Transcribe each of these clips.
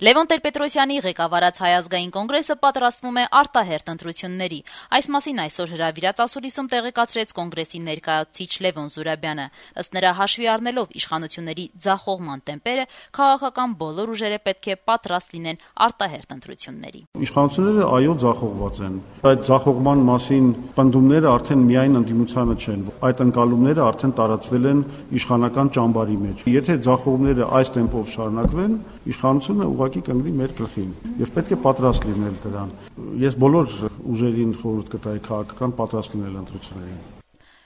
Լևոն Տեր-Պետրոսյանի ղեկավարած Հայ ազգային կոնգրեսը պատրաստվում է արտահերթ ընտրությունների։ Այս մասին այսօր հրավիրած ասուլիսում տեղեկացրեց կոնգրեսի ներկայացուցիչ Լևոն Զուրաբյանը։ Ըստ նրա, հաշվի առնելով իշխանությունների ձախողման տեմպերը, քաղաքական բոլոր ուժերը պետք է պատրաստ լինեն արտահերթ ընտրությունների։ Իշխանությունները այո ձախողված են։ Այդ ձախողման մասին պնդումները արդեն միայն ընդդիմությանը չեն։ Այդ ընկալումները արդեն տարածվել են իշխանական ճամբարի մեջ։ Եթե ձախողումները այս տեմպով շարունակվեն, իշխանությունը ուղղակի կընկնի մեր գլխին եւ պետք է պատրաստ լինել դրան։ Ես բոլոր ուժերին խորհուրդ կտայի քաղաքական պատրաստ լինել ընտրություններին։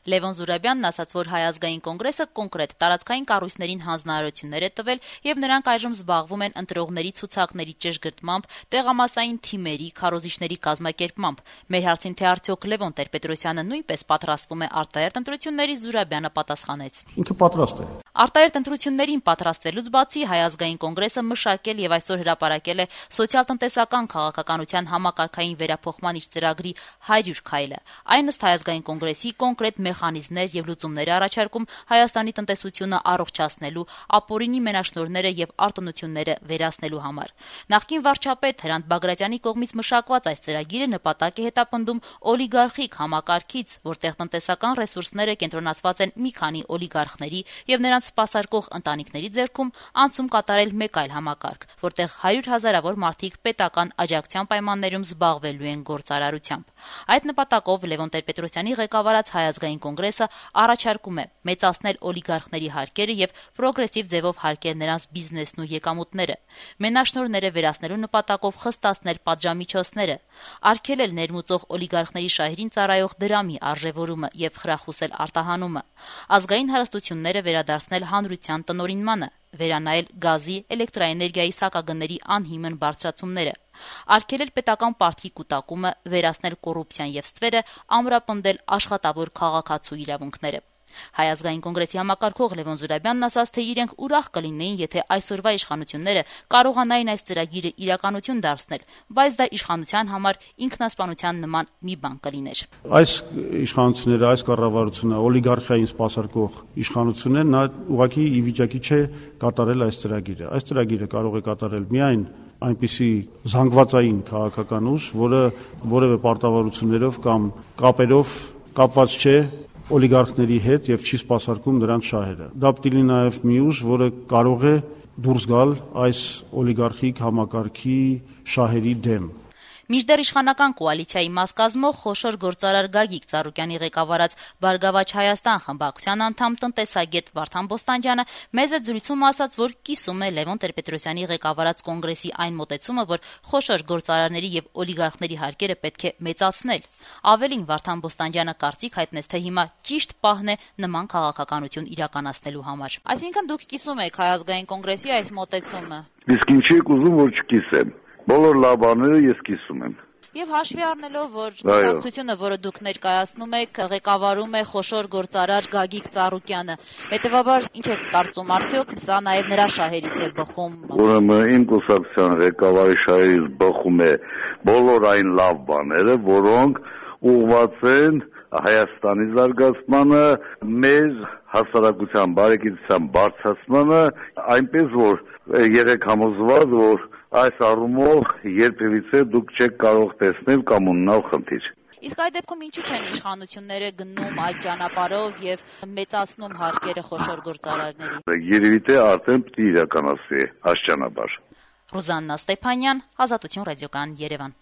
Լևոն Զուրաբյանն ասաց, որ Հայ ազգային կոնգրեսը կոնկրետ տարածքային կառույցներին հանձնարարություններ է տվել եւ նրանք այժմ զբաղվում են ընտրողների ցուցակների ճշգրտմամբ, տեղամասային թիմերի, քարոզիչների կազմակերպմամբ։ Մեր հարցին, թե արդյոք Լևոն Տեր-Պետրոսյանը նույնպես պատրաստվում է արտահերթ ընտրությունների, Զուրաբյանը պատասխանեց. Ինքը պատրաստ է։ Արտահերթ ընտրություններին պատրաստվելուց բացի Հայ ազգային կոնգրեսը մշակել եւ այսօր հրապարակել է սոցիալ-տնտեսական քաղաքականության համակարգային վերափոխման իր ծրագրի 100 քայլը։ Այն ըստ Հայ ազգային կոնգրեսի կոնկրետ մեխանիզմներ եւ լուծումներ առաջարկում Հայաստանի տնտեսությունը առողջացնելու, ապօրինի մենաշնորհները եւ արտոնությունները վերացնելու համար։ Նախկին վարչապետ Հրանտ Բագրատյանի կողմից մշակված այս ծրագիրը նպատակ է հետապնդում օլիգարխիկ համակարգից, որտեղ տնտեսական ռեսուրսները կենտրոնացված են մի քանի օլիգարխների եւ նրանց սպասարկող ընտանիքների ձեռքում, անցում կատարել մեկ այլ համակարգ, որտեղ 100 հազարավոր մարդիկ պետական աջակցության պայմաններում զբաղվելու են գործարարությամբ։ Այդ նպատակով Լևոն Տեր-Պետրոսյանի ղեկավարած Հայ ազգային կոնգրեսը առաջարկում է մեծացնել օլիգարխների հարկերը եւ պրոգրեսիվ ձևով հարկել նրանց բիզնեսն ու եկամուտները, մենաշնորհները վերացնելու նպատակով խստացնել պատժամիջոցները, արգելել ներմուծող օլիգարխների շահերին ծառայող դրամի արժեվորումը եւ խրախուսել արտահանումը, ազգային հարստությունները վերադարձնել հանրության տնօրինմանը, վերանայել գազի, էլեկտրաէներգիայի սակագների անհիմն բարձրացումները, արգելել պետական պարտքի կուտակումը, վերացնել կոռուպցիան եւ ստվերը, ամրապնդել աշխատավոր քաղաքացու իրավունքները։ Հայ ազգային կոնգրեսի համակարգող Լևոն Զուրաբյանն ասաց, թե իրենք ուրախ կլինեին, եթե այսօրվա իշխանությունները կարողանային այս ծրագիրը իրականություն դարձնել, բայց դա իշխանության համար ինքնասպանության նման մի բան կլիներ։ Այս իշխանությունները, այս կառավարությունը, օլիգարխիային սպասարկող իշխանությունները նա ուղղակի ի վիճակի չէ կատարել այս ծրագիրը։ Այս ծրագիրը կարող է կատարել միայն այնպիսի զանգվածային քաղաքական ուժ, որը որևէ պարտավորություններով կամ կապերով կապված չէ օլիգարխների հետ եւ չի սպասարկում նրանց շահերը։ Դա պիտի լինի նաեւ մի ուժ, որը կարող է դուրս գալ այս օլիգարխիկ համակարգի շահերի դեմ։ Մինչդեռ իշխանական կոալիցիայի մաս կազմող խոշոր գործարար Գագիկ Ծառուկյանի ղեկավարած Բարգավաճ Հայաստան խմբակցության անդամ տնտեսագետ Վարդան Բոստանջյանը մեծ զրույցում ասաց, որ կիսում է Լևոն Տեր-Պետրոսյանի ղեկավարած կոնգրեսի այն մոտեցումը, որ խոշոր գործարարների եւ օլիգարխների հարկերը պետք է մեծացնել։ Ավելին, Վարդան Բոստանջյանը կարծիք հայտնեց, թե հիմա ճիշտ պահն է նման քաղաքականություն իրականացնելու համար։ Այսինքն դուք կիսում եք Հայ ազգային կոնգրեսի այս մոտեցումը։ Իսկ ինչի եք ուզում, որ չկիսեմ։ Բոլոր լավ բաները ես կիսում եմ։ Եվ հաշվի առնելով, որ կուսակցությունը, որը դուք ներկայացնում եք, ղեկավարում է խոշոր գործարար Գագիկ Ծառուկյանը, հետևաբար ինչ եք կարծում, արդյոք սա նաև նրա շահերից է բխում։ Ուրեմն իմ կուսակցության ղեկավարի շահերից բխում է բոլոր այն լավ բաները, որոնք ուղղված են Հայաստանի զարգացմանը, մեր հասարակության բարեկեցության բարձրացմանը, այնպես որ երեք համոզված, որ այս առումով երբևիցե դուք չեք կարող տեսնել կամ ունենալ խնդիր։ Իսկ այդ դեպքում ինչու չեն իշխանությունները գնում այդ ճանապարհով եւ մեծացնում հարկերը խոշոր գործարարների։ Երևի թե արդեն պետք է իրականացվի այս ճանապարհ։ Ռուզաննա Ստեփանյան, Ազատություն ռադիոկայան, Երևան։